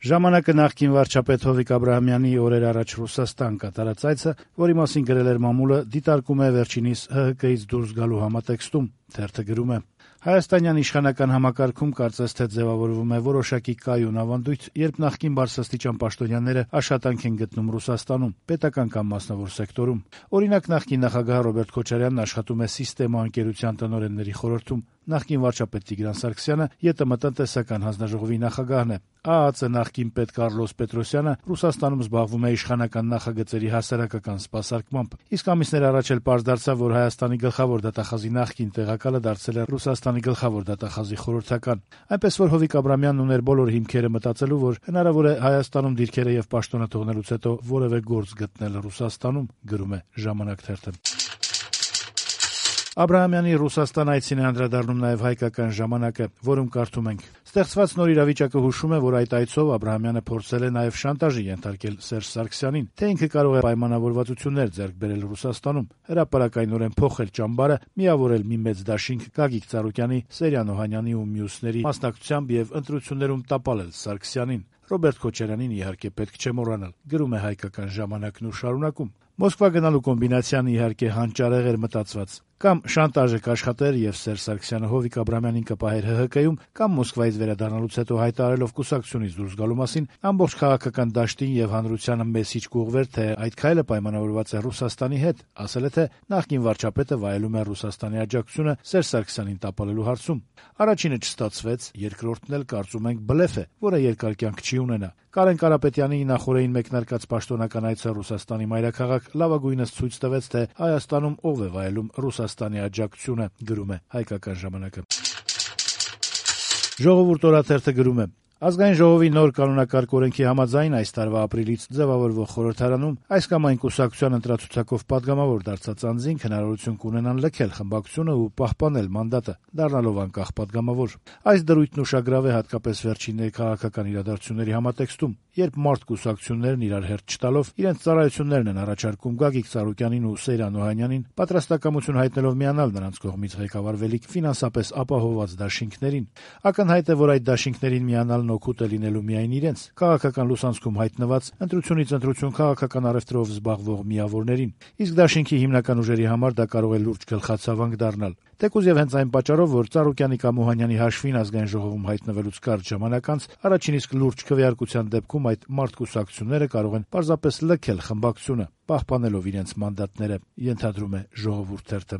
Ժամանակը նախկին վարչապետ Հովիկ Աբրահամյանի օրեր առաջ Ռուսաստան կատարած այցը, որի մասին գրել էր մամուլը, դիտարկում է վերջինիս ՀՀԿ-ից դուրս գալու համատեքստում։ Թերթը գրում է. Հայաստանյան իշխանական համակարգում կարծես թե ձևավորվում է որոշակի կայուն ավանդույթ, երբ նախկին բարձրաստիճան պաշտոնյաները աշխատանք են գտնում Ռուսաստանում, պետական կամ մասնավոր սեկտորում։ Օրինակ, նախկին նախագահ Ռոբերտ Քոչարյանն աշխատում է Սիստեմա ընկերության տնօրենների խորհրդում, նախկին վարչապետ Տիգրան Սարգսյանը ԵՏՄ տնտեսական հանձնաժողովի նախագահն է, ԱԱՑ նախկին պետ Կառլոս Պետրոսյանը Ռուսաստանում զբաղվում է իշխանական նախագծերի հասարակական սպասարկմամբ, իսկ ամիսներ առաջ էլ պարզ դարձավ, որ Հայաստանի գլխավոր դատախազի նախկին տեղակալը դարձել է Ռուսաստանի գլխավոր դատախազի խորհրդական, այնպես որ Հովիկ Աբրահամյանն ուներ բոլոր հիմքերը մտածելու, որ հնարավոր է Հայաստանում դիրքերը եւ պաշտոնը թողնելուց հետո որևէ գործ գտնել Ռուսաստանում, գրում է «Ժամանակ» թերթը։ Աբրահամյանի Ռուսաստան այցին է անդրադառնում նաև հայկական ժամանակը, որում կարդում ենք. Ստեղծված նոր իրավիճակը հուշում է, որ այդ այցով Աբրահամյանը փորձել է նաև շանտաժի ենթարկել Սերժ Սարգսյանին, թե ինքը կարող է պայմանավորվածություններ ձեռք բերել Ռուսաստանում, հրապարակայնորեն փոխել ճամբարը, միավորել մի մեծ դաշինք Գագիկ Ծառուկյանի, Սերյան Օհանյանի ու մյուսների մասնակցությամբ եւ ընտրություններում տապալել Սարգսյանին։ Ռոբերտ Քոչարյանին իհարկե պետք չէ մոռանալ, գրում է հայկական ժամանակն ու շարունակում. Մոսկվա գնալու կոմբինացիան իհարկե հանճարեղ էր մտածված։ Կամ շանտաժը կաշխատեր եւ Սերժ Սարգսյանը Հովիկ Աբրահամյանին կպահեր ՀՀԿ-ում, կամ Մոսկվայից վերադառնալուց հետո հայտարարելով կուսակցությունից դուրս գալու մասին ամբողջ քաղաքական դաշտին եւ հանրությանը մեսիջ կուղղվեր, թե այդ քայլը պայմանավորված է Ռուսաստանի հետ, ասել է, թե նախկին վարչապետը վայելում է Ռուսաստանի աջակցությունը Սերժ Սարգսյանին տապալելու հարցում։ Առաջինը չստացվեց, երկրորդն էլ կարծում ենք բլեֆ է, որը երկար կյանք չի ունենա։ Կարեն Կարապետյանի նախորդին մեկնարկած պաշտոնական այցը Ռուսաստանի մայրաքաղաք լավագույնս ցույց տվեց, թե Հայաստանում ով է վայելում Ռուսաստանի աջակցությունը, գրում է հայկական ժամանակը։ Ժողովուրդ օրաթերթը գրում է. Ազգային ժողովի նոր կանոնակարգ օրենքի համաձայն այս տարվա ապրիլից ձևավորվող խորհրդարանում այս կամ այն կուսակցության ընտրացուցակով падգամավոր դարձած անձինք հնարավորություն կունենան լքել խմբակցությունը ու պահպանել մանդատը, դառնալով անկախ падգամավոր։ Այս դրույթն ուշագրավ է հատկապես վերջին քաղաքական իրադարձությունների համատեքստում, երբ մարդ կուսակցություններն իրար հերթ չտալով իրենց ծառայություններն են առաջարկում Գագիկ Ծառուկյանին ու Սերյան Օհանյանին, պատրաստակամություն հայտնելով միանալ նրանց կողմից ղեկավարվելիք ֆինանսապես ապահովված դաշինքներին։ Ակնհայտ է, որ այդ դաշինքներին միանալն օգուտ է լինելու միայն իրենց քաղաքական լուսանցքում հայտնված ընտրությունից ընտրություն քաղաքական առևտրով զբաղվող միավորներին, իսկ դաշինքի հիմնական ուժերի համար դա կարող է լուրջ գլխացավանք դառնալ։ Թեկուզ եւ հենց այն պատճառով, որ Ծառուկյանի կամ Օհանյանի հաշվին ազգային ժողովում հայտնվելուց կարճ ժամանակ անց առաջին իսկ լուրջ քվեարկության դեպքում այդ մարդկուսակցությունները կարող են պարզապես լքել խմբակցությունը, պահպանելով իրենց մանդատները, ենթադրում է Ժողովուրդ թերթը։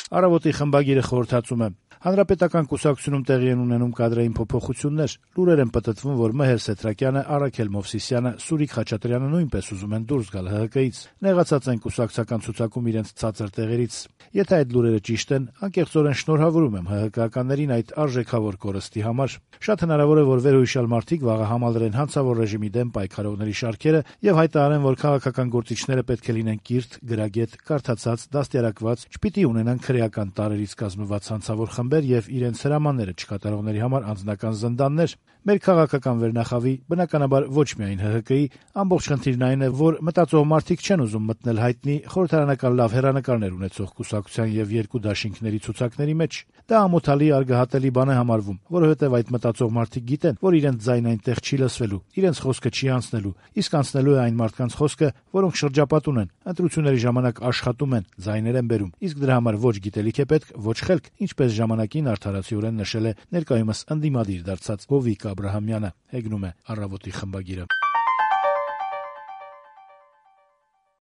Առավոտի խմբագիրը խորհրդածում է. Հանրապետական կուսակցությունում տեղի են ունենում կադրային փոփոխություններ, լուրեր են պտտվում, որ Մհեր Սեթրակյանը, Արաքել Մովսիսյանը, Սուրիկ Խաչատրյանը նույնպես ուզում են դուրս գալ ՀՀԿ-ից, նեղացած են կուսակցական ցուցակում իրենց ցածր տեղերից։ Եթե այդ լուրերը ճիշտ են, անկեղծորեն շնորհավորում եմ ՀՀԿ-ականներին այդ արժեքավոր կորստի համար։ Շատ հնարավոր է, որ վերհույշալ մարդիկ վաղը համալրեն հանցավոր ռեժիմի դեմ պայքարողների շարքերը եւ հայտարարեն, որ քաղաքական գործիչները պետք է լինեն կիրթ, գրագետ, կարդացած, դաստիարակված, չպիտի ունենան քրեական տարրերից կազմված հանցավոր խմբեր եւ իրենց հրամանները չկատարողների համար անձնական զնդաններ։ Մեր քաղաքական վերնախավի, բնականաբար ոչ միայն ՀՀԿ-ի, ամբողջ խնդիրն այն է, որ մտածող մարդիկ չեն ուզում մտնել հայտնի խորհրդարանական լավ հեռանկարներ ունեցող կուսակցության եւ երկու դաշինքների ցուցակների մեջ։ Դա ամոթալի արգահատելի բան է համարվում, որովհետեւ այդ մտածող մարդիկ գիտեն, որ իրենց ձայնը այնտեղ չի լսվելու, իրենց խոսքը չի անցնելու, իսկ անցնելու է այն մարդկանց խոսքը, որոնք շրջապատ ունեն, ընտրությունների ժամանակ աշխատում են, ձայներ են բերում, իսկ դրա համար ոչ գիտելիք է պետք, ոչ խելք, ինչպես ժամանակին արդարացիորեն նշել է ներկայումս ընդդիմադիր դարձած Հովիկ Աբրահամյանը, հեգնում է Առավոտի խմբագիրը։